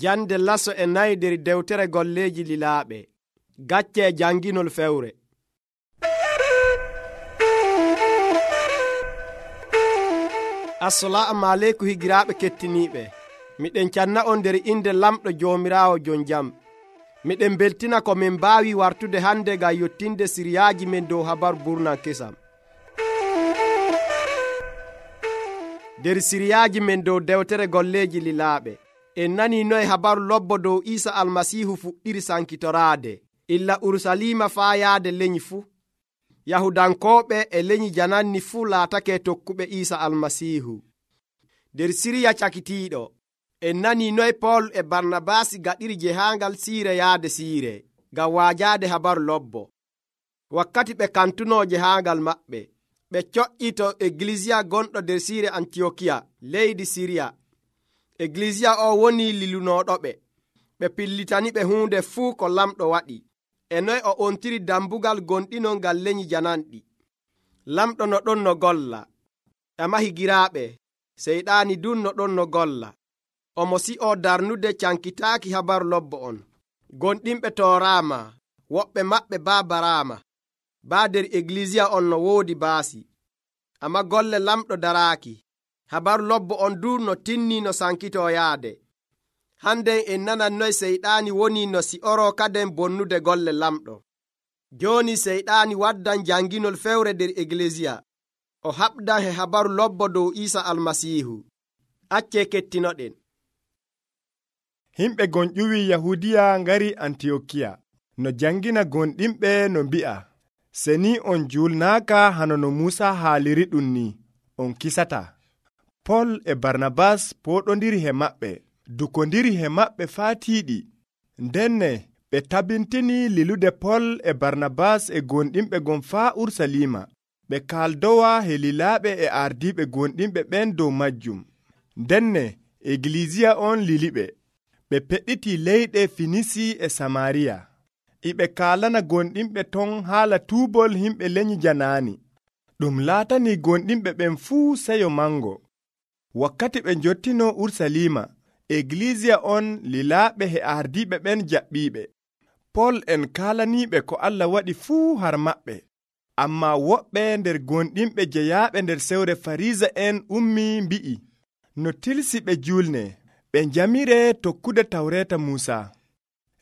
Jande laso e nayi der dewtere golleeji lilaaɓe. Gacce janginol fewre. Assalamu aleykum higiraaɓe kettiniiɓe. Miɗen canna on nder inde lamɗo Joomiraawo jon jam. Miɗen beltina ko min mbaawi wartude hande ngam yottinde siriyaaji men dow habaru burnan kesam. Der siriyaaji men dow dewtere golleeji lilaaɓe, en nani noye habaru lobbo dow Iisa almasiihu fuɗɗiri sankitoraade illa Urusalima faa yaade leñi fuu. Yahudankooɓe e leñi jananni fuu laatake tokkuɓe Iisa almasiihu. Der siriya cakitiiɗo, en nani noye Pool e Barnabaasi gaɗiri jehaangal siire yaade siire ngam waajaade habaru lobbo. Wakkati ɓe kantunoo jehaangal maɓɓe, ɓe coƴƴi to Eglisiya gonɗo der siire Antiyokiya leydi Siriya. Eglisiya o woni lilunooɗoɓe. Ɓe pillitani ɓe huunde fuu ko lamɗo waɗi, e noye o ontiri dambugal gonɗinol ngal leñi jananɗi. Lamɗo no ɗon no golla. Ama higiraaɓe, seyɗaani dun no ɗon no golla. Omo si'oo darnude cankitaaki habaru lobbo on. Gonɗinɓe tooraama, woɓɓe maɓɓe baa baraama. Baa der Eglisiya on no woodi baasi. Ama golle lamɗo daraaki. Habaru lobbo on duu no tinnii no sankitoo yaade. Handen en nanan noy seyɗaani woni no si'oroo kaden bonnude golle lamɗo. Jooni seyɗaani waddan janginol fewre der Eglisiya. O haɓdan he habaru lobbo dow Iisa almasiihu. Accee kettinoɗen. Himɓe gonƴuwi Yahudiya ngari Antiyokiya. No jangina gonɗinɓe no mbi'a, seni on julnaaka hano no Muusa haaliri ɗum ni, on kisata. Pol e Barnabas pooɗondiri he maɓɓe, dukondiri he maɓɓe faa tiiɗi. Ndenne ɓe tabintini lilude Pol e Barnabas e gonɗinɓe gon faa Urusalima. Ɓe kaaldowa he lilaaɓe e ardiiɓe gonɗinɓe ɓen dow majjum. Ndenne Eglisiya on liliɓe. Ɓe peɗɗiti leyɗe Finisi e Samariya. Iɓe kaalana gonɗinɓe ton haala tuubol himɓe leñi janaani. Ɗum laatani gonɗinɓe ɓen fuu seyo mango. Wakkati ɓe njottino Urusalima, Eglisiya on lilaaɓe he ardiiɓe ɓen jaɓɓiiɓe. Pol en kaalaniiɓe ko Allah waɗi fuu har maɓɓe. Ammaa woɓɓe nder gonɗinɓe jeyaaɓe nder sewre Fariisa en ummi mbi'i, no tilsi ɓe julne, ɓe njamire tokkude tawreeta Muusa.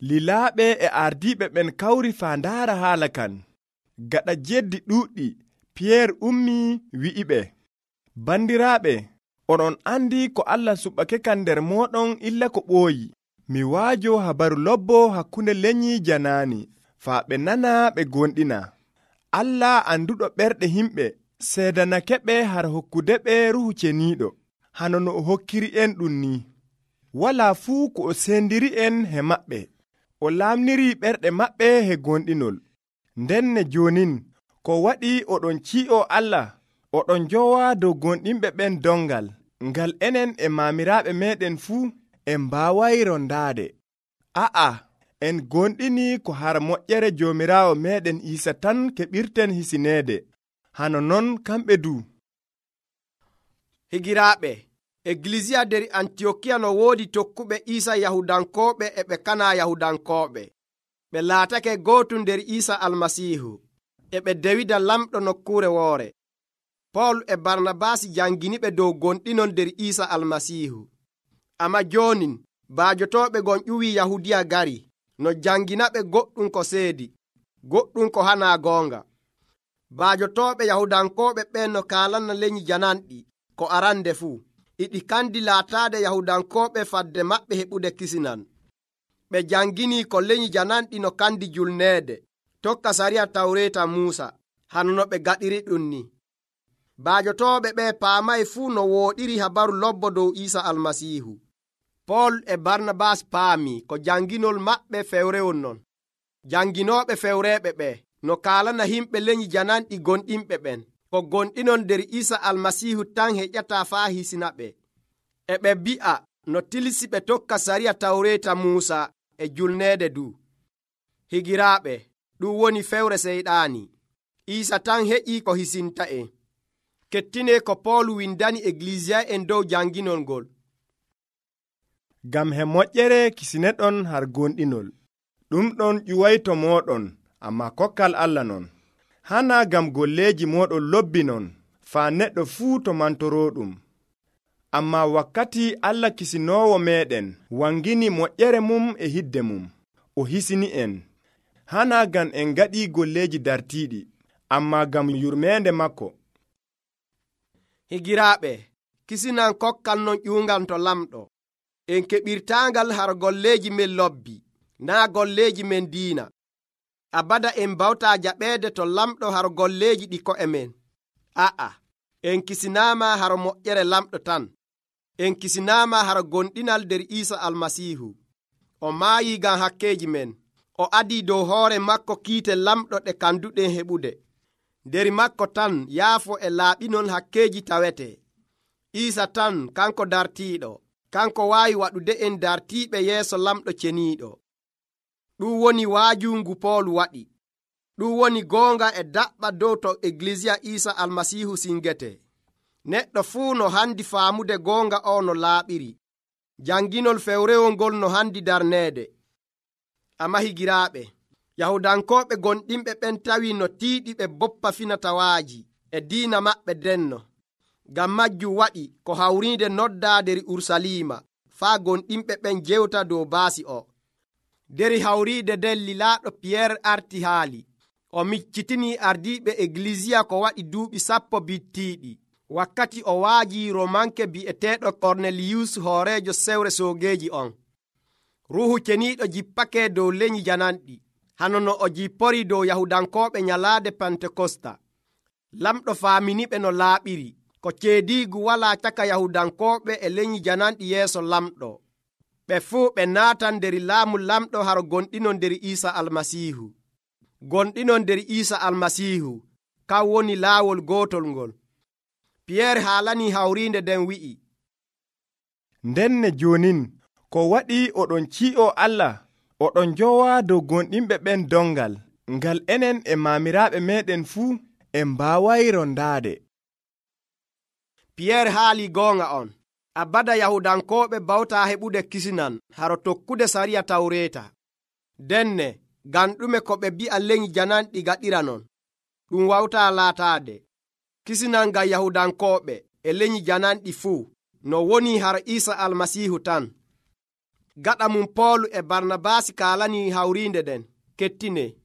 Lilaaɓe e ardiiɓe ɓen kawri faa ndaara haala kan. Gaɗa jeddi ɗuuɗɗi, Piyeer ummi wi'iɓe, bandiraaɓe, onon andi ko Allah suɓake kan nder mooɗon illa ko ɓooyi. Mi waajo habaru lobbo hakkunde leñi janaani, faa ɓe nana ɓe gonɗina. Allah anduɗo ɓerɗe himɓe seedanakeɓe har hokkude ɓe Ruuhu Ceniiɗo, hano no o hokkiri en ɗum ni. Walaa fuu ko o sendiri en he maɓɓe. O laamniri ɓerɗe maɓɓe he gonɗinol. Ndenne joonin, ko waɗi oɗon ci'o Allah, oɗon njowa dow gonɗinɓe ɓen dongal, ngal enen e maamiraaɓe meɗen fuu en mbaaway rondaade. A'a, en gonɗini ko har moƴƴere Joomiraawo meɗen Iisa tan keɓirten hisineede. Hano non kamɓe du. Higiraaɓe, Eglisiya der Antiyokiya no woodi tokkuɓe Iisa Yahudankooɓe e ɓe kana Yahudankooɓe. Ɓe laatake gootum nder Iisa almasiihu, e ɓe dewida lamɗo nokkuure woore. Pol e Barnabaasi janginiɓe dow gonɗinol nder Iisa almasiihu. Amma joonin baajotooɓe gon ƴuwi Yahudiya gari, no janginaɓe goɗɗum ko seedi, goɗɗum ko hanaa goonga. Baajotooɓe Yahudankooɓe ɓen no kaalana leñi jananɗi ko arande fuu. Iɗi kandi laataade Yahudankooɓe fadde maɓɓe heɓude kisinan. Ɓe jangini ko leñi jananɗi no kandi julneede, tokka sariya tawreeta Muusa, hano no ɓe gaɗiri ɗum ni. Baajotooɓe ɓe paamay fuu no wooɗiri habaru lobbo dow Iisa almasiihu. Pol e Barnabas paami ko janginol maɓɓe fewrewol non. Janginooɓe fewreeɓe ɓe no kaalana himɓe leñi jananɗi gonɗinɓe ɓen, ko gonɗinon nder Iisa almasiihu tan heƴƴataa faa hisina ɓe. E ɓe mbi'a no tilsi ɓe tokka sariya tawreeta Muusa e julneede du. Higiraaɓe, ɗum woni fewre seyɗaani. Iisa tan heƴii ko hisinta en. Kettine ko Pool windani Eglisiya en dow janginol ngol. ngam he moƴƴere kisineɗon har gonɗinol. Ɗum ɗon ƴuwayto mooɗon, amma kokkal Allah non. Hana ngam golleeji mooɗon lobbinon, faa neɗɗo fuu to mantoroɗum. Amma wakkati Allah kisinoowo meeɗen wangini moƴƴere mum e hidde mum, o hisini en. Hana ngam en ngaɗi golleeji dartiiɗi, amma ngam yurmeende makko. Higiraaɓe, kisinan kokkal non ƴuungal to lamɗo. En keɓirtaangal har golleeji men lobbi, naa golleeji men diina. Abada en bawtaa jaɓeede to lamɗo har golleeji ɗi ko'e men. A'a, en kisinaama har moƴƴere lamɗo tan. En kisinaama har gonɗinal nder Iisa Almasiihu. O maayii ngam hakkeeji men. O adii dow hoore makko kiite lamɗo ɗe kanduɗen heɓude. Nder makko tan yaafo e laaɓinon hakkeeji tawetee. Iisa tan kanko dartiiɗo. Kanko waawi waɗude en dartiiɓe yeeso lamɗo ceniiɗo. Ɗum woni waajungu Pool waɗi. Ɗum woni goonga e daɓɓa dow to Eglisiya Iisa Almasiihu singete. Neɗɗo fuu no handi faamude goonga o no laaɓiri. Janginol fewrewol ngol no handi darneede. Amma higiraaɓe, Yahudankooɓe gonɗinɓe ɓen tawi no tiiɗi ɓe boppa finatawaaji e diina maɓɓe denno. Ngam majjum waɗi ko hawriinde noddaa der Urusalima faa gonɗinɓe ɓen jewta dow baasi o. Der hawriide nden lilaaɗo Piyeer arti haali. O miccitinii ardiiɓe Eglisiya ko waɗi duuɓi 10 bittiiɗi, wakkati o waaji Romanke bi'eteeɗo Korneliyus hooreejo sewre soogeeji on. Ruuhu ceniiɗo jippake dow leñi jananɗi, hano no o jippori dow Yahudankooɓe nyalaade Pentekosta. Lamɗo faaminiɓe no laaɓiri, ko ceediigu walaa caka Yahudankooɓe e leñi jananɗi yeeso lamɗo. Ɓe fuu ɓe naatan nder laamu lamɗo har gonɗinon nder Iisa Almasiihu. Gonɗinon nder Iisa Almasiihu, kan woni laawol gootol ngol. Piyeer haalanii hawriinde nden wi'i, ndenne joonin ko waɗi oɗon ci'o Allah, oɗon njowa dow gonɗinɓe ɓen dongal, ngal enen e maamiraaɓe meeɗen fuu en mbaawayi rondaade. Piyeer haali goonga on. Abada Yahudankooɓe bawtaa heɓude kisinan haro tokkude sariya Tawreeta. Denne, ngam ɗume ko ɓe bi'a leñi jananɗi gaɗira non? Ɗum wawtaa laataade. Kisinan ngam Yahudankooɓe e leñi jananɗi fuu no woni har Iisa Almasiihu tan. Gaɗa mum Poolu e Barnabaasi kaalanii hawriinde nden, kettine.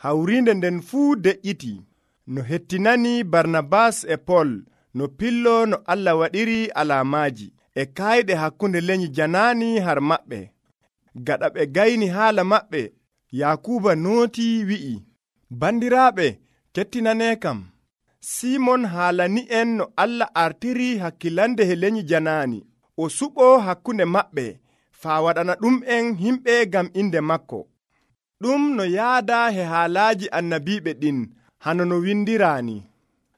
Hawriinde nden fuu deƴƴiti, no hettinani Barnabas e Pol no pillo no Allah waɗiri alaamaaji e kaayɗe hakkunde leñi janaani har maɓɓe. Gaɗa ɓe gayni haala maɓɓe, Yakuuba nootii wi'i, bandiraaɓe, kettinanee kam. Simon haalani en no Allah artiri hakkilande he leñi janaani, o suɓoo hakkunde maɓɓe, faa waɗana ɗum en himɓe ngam inde makko. Ɗum no yaada he haalaaji annabiiɓe ɗin, hano no windiraani.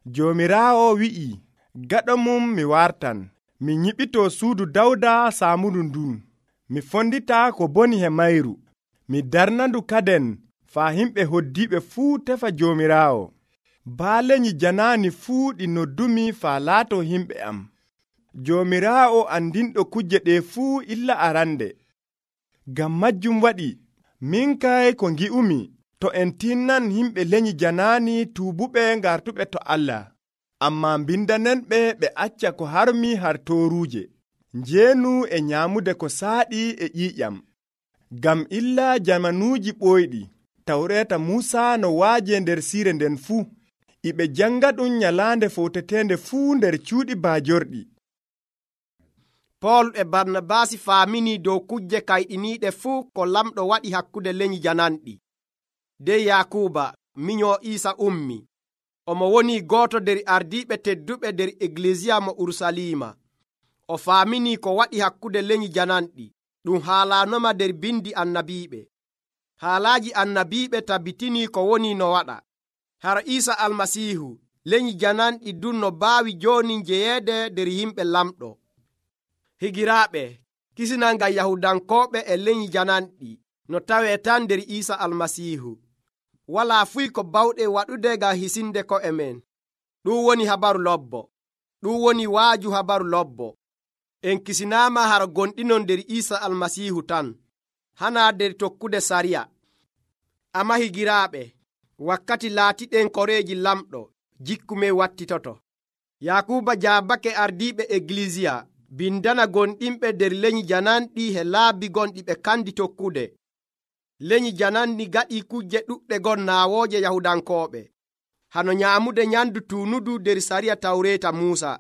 Joomiraawo wi'i, gaɗo mum mi wartan, mi nyiɓitoo suudu Dawda saamundu ndun, mi fondita ko boni he mayru, mi darnandu kaden faa himɓe hoddiiɓe fuu tefa Joomiraawo. Baaleñi janaani fuu ɗi noddumi faa laato himɓe am. Joomiraawo andinɗo kujje ɗe fuu illa arande. Ngam majjum waɗi, min kay ko ngi'umi, to en tinnan himɓe leñi janaani tuubuɓe ngartuɓe to Allah, amma mbindanenɓe ɓe acca ko harmi har tooruuje, njeenu e nyaamude ko saaɗi e ƴiiƴam. Ngam illa jamanuuji ɓooyɗi, Tawreeta Muusa no waaje nder siire nden fuu, iɓe janga ɗum nyalaande fowtetende fuu nder cuuɗi baajorɗi. Pool e Barnabaasi faaminii dow kujje kayɗiniiɗe fuu ko lamɗo waɗi hakkunde leñi jananɗi. Dey Yakuuba, minyoo Iisa ummi. Omo woni gooto nder ardiiɓe tedduɓe nder Eglisiya mo Urusalima. O faaminii ko waɗi hakkunde leñi jananɗi. Ɗum haalaanoma nder bindi annabiiɓe. Haalaaji annabiiɓe tabbitinii ko woni no waɗa. Har Iisa Almasiihu, leñi jananɗi dun no baawi jooni jeyeede nder yimɓe lamɗo. Higiraaɓe, kisinan ngam Yahudankooɓe e leñi jananɗi no tawee tan nder Iisa Almasiihu. Walaa fuy ko bawɗe waɗude ngam hisinde ko'e men. Ɗum woni habaru lobbo. Ɗum woni waaju habaru lobbo. en kisinaama har gonɗinon nder Iisa almasiihu tan, hana nder tokkude sariya. Amma higiraaɓe, wakkati laatiɗen koreeji lamɗo, jikkumen wattitoto. Yakuuba jaabake ardiiɓe Eglisiya bindana gonɗinɓe nder lenyi jananɗi he laabi gonɗi ɓe kandi tokkude. Lenyi jananɗi gaɗi kujje ɗuɗɗe gon naawooje Yahudankooɓe, hano nyaamude nyamdu tuunudu nder sariya Tawreeta Muusa.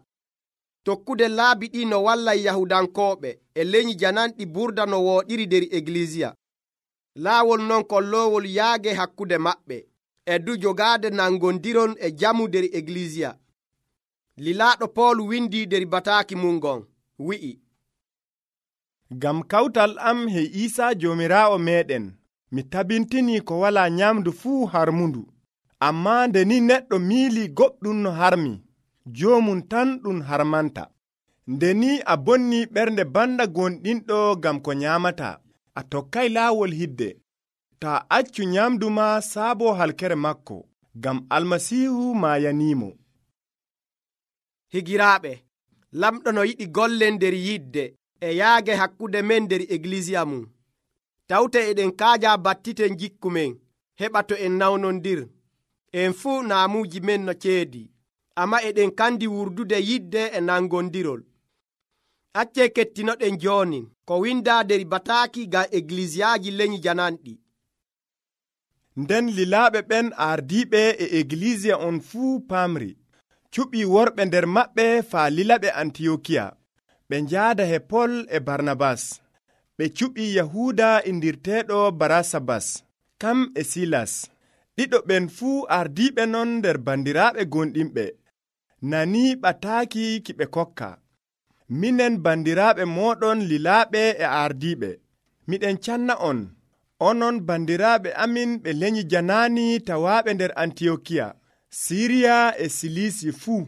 Tokkude laabi ɗi no wallay Yahudankooɓe e lenyi jananɗi burda no wooɗiri nder Eglisiya. Laawol non kolloowol yaage hakkude maɓɓe e du jogaade nangondiron e jamu nder Eglisiya. Lilaaɗo Pool windi nder bataaki mum gon, wi'i: ngam kawtal am he Iisa Joomiraawo meeɗen, mi tabintinii ko walaa nyamdu fuu harmundu. Ammaa nde ni neɗɗo miilii goɗɗum no harmi, joomum tan ɗum harmanta. Nde ni a bonnii ɓernde banda gonɗinɗo ngam ko nyaamataa, a tokkay laawol hidde. Taa accu nyamdu ma saabo halkere makko, ngam Almasiihu maayaniimo. Higiraaɓe, lamɗo no yiɗi gollen nder yidde e yaage hakkude men nder Eglisiya mum. Tawte eɗen kaaja battiten jikkumen heɓa to en nawnondir. En fuu naamuuji men no ceedi, amma eɗen kandi wurdude yidde e nangondirol. Acce kettinoɗen jooni ko windaa nder bataaki ngam Eglisiyaaji lenyi jananɗi. Nden lilaaɓe ɓen ardiiɓe e Eglisiya on fuu paamri, cuɓii worɓe nder maɓɓe faa lilaɓe Antiyokiya, ɓe njaada he Pol e Barnabas. Ɓe cuɓii Yahuuda indirteeɗo Barasabas, kam e Silas. Ɗiɗo ɓen fuu ardiiɓe non nder bandiraaɓe gonɗinɓe, nanii ɓataaki ki ɓe kokka. Minen bandiraaɓe mooɗon lilaaɓe e ardiiɓe, miɗen canna on, onon bandiraaɓe amin ɓe lenyi janaani tawaaɓe nder Antiyokiya, Siriya e Silisi fuu.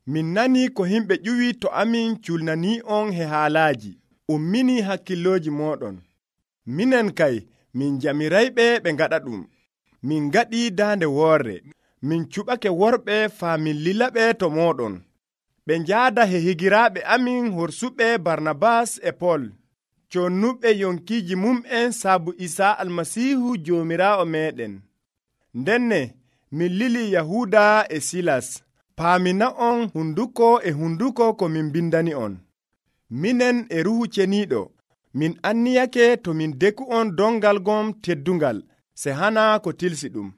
Min nanii ko himɓe ƴuwi to amin culnanii on he haalaaji, umminii hakkillooji mooɗon. Minen kay, min jamirayɓe ɓe ngaɗa ɗum. Min ngaɗii daande woorre, min cuɓake worɓe faa min lilaɓe to mooɗon. Ɓe njaada he higiraaɓe amin horsuɓe Barnabas e Pol, connuɓe yonkiiji mum'en saabu Isaa Almasiihu Joomiraawo meeɗen. Ndenne min lili Yahuuda e Silas, paamina on hunduko e hunduko ko min bindani on. Minen e Ruuhu Ceniiɗo, min anniyake to min deku on dongal gon teddungal, se hana ko tilsi ɗum.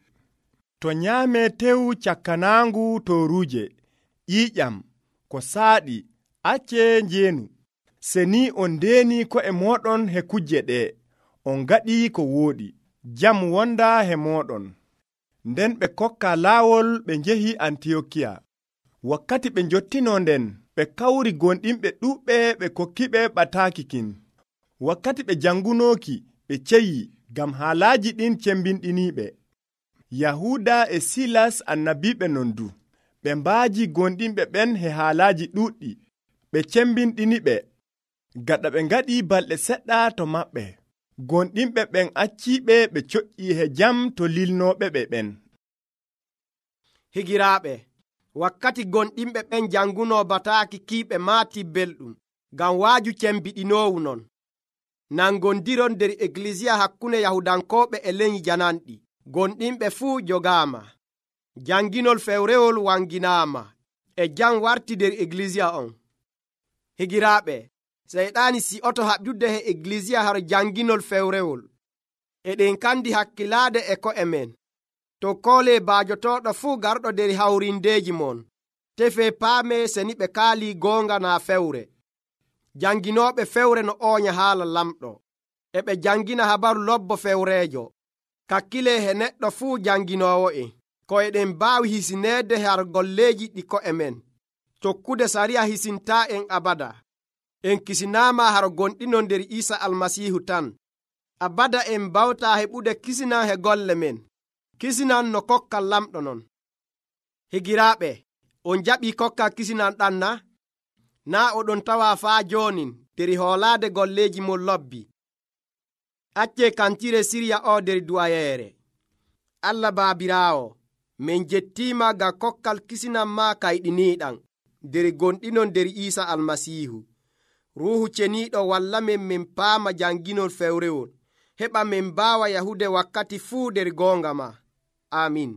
To nyaamee tew cakkanaangu tooruuje, ƴiiƴam, ko saaɗi, acce njeenu. Se ni on ndeeni ko'e mooɗon he kujje ɗe, on ngaɗii ko wooɗi. Jam wonda he mooɗon. Nden ɓe kokka laawol ɓe njehi Antiyokiya. Wakkati ɓe njottinoo nden, ɓe kawri gonɗinɓe ɗuuɓɓe ɓe kokkiɓe ɓataaki kin. Wakkati ɓe jangunooki, ɓe ceyi, ngam haalaaji ɗin cembinɗiniiɓe. Yahuuda e Silas annabiiɓe non du, ɓe mbaaji gonɗinɓe ɓen he haalaaji ɗuuɗɗi, ɓe cembinɗiniɓe. Gaɗa ɓe ngaɗii balɗe seɗɗa to maɓɓe, gonɗinɓe ɓen acciiɓe ɓe coƴƴii he jam to lilnooɓe ɓe ɓen. Higiraaɓe, wakkati gonɗinɓe ɓen jangunoo bataaki kiiɓe maati belɗum, ngam waaju cembiɗinoowu non. Nangondiron nder Eglisiya hakkunde Yahudankooɓe e lenyi jananɗi, gonɗinɓe fuu jogaama. Janginol fewrewol wanginaama, e jam warti nder Eglisiya on. Higiraaɓe, Seyɗaani si'oto haɓjude he Eglisiya har janginol fewrewol. Eɗen kandi hakkilaade e ko'e men. To koolee baajotooɗo fuu garɗo nder hawrindeeji mon, tefee paamee seni ɓe kaalii goonga naa fewre. Janginooɓe fewre no oonya haala lamɗo, e ɓe jangina habaru lobbo fewreejo. Kakkilee he neɗɗo fuu janginoowo'en, ko eɗen mbaawi hisineede har golleeji ɗi ko'e men. Tokkude sariya hisintaa en abada. En kisinaama har gonɗinon nder Iisa Almasiihu tan. Abada en mbawtaa heɓude kisinan he golle men. Kisinan no kokkal lamɗo non. Higiraaɓe, on jaɓii kokkal kisinan ɗan na? Naa oɗon tawaa faa joonin nder hoolaade golleeji mon lobbi. Accee kantire sirya o nder duwayeere. Allah Baabiraawo, min jettiima ngam kokkal kisinan maa kayɗiniiɗan nder gonɗinon nder Iisa Almasiihu. ruuhu ceniiɗo walla min paama janginol fewrewol, heɓa min mbaawa yahude wakkati fuu nder goonga ma. Amin.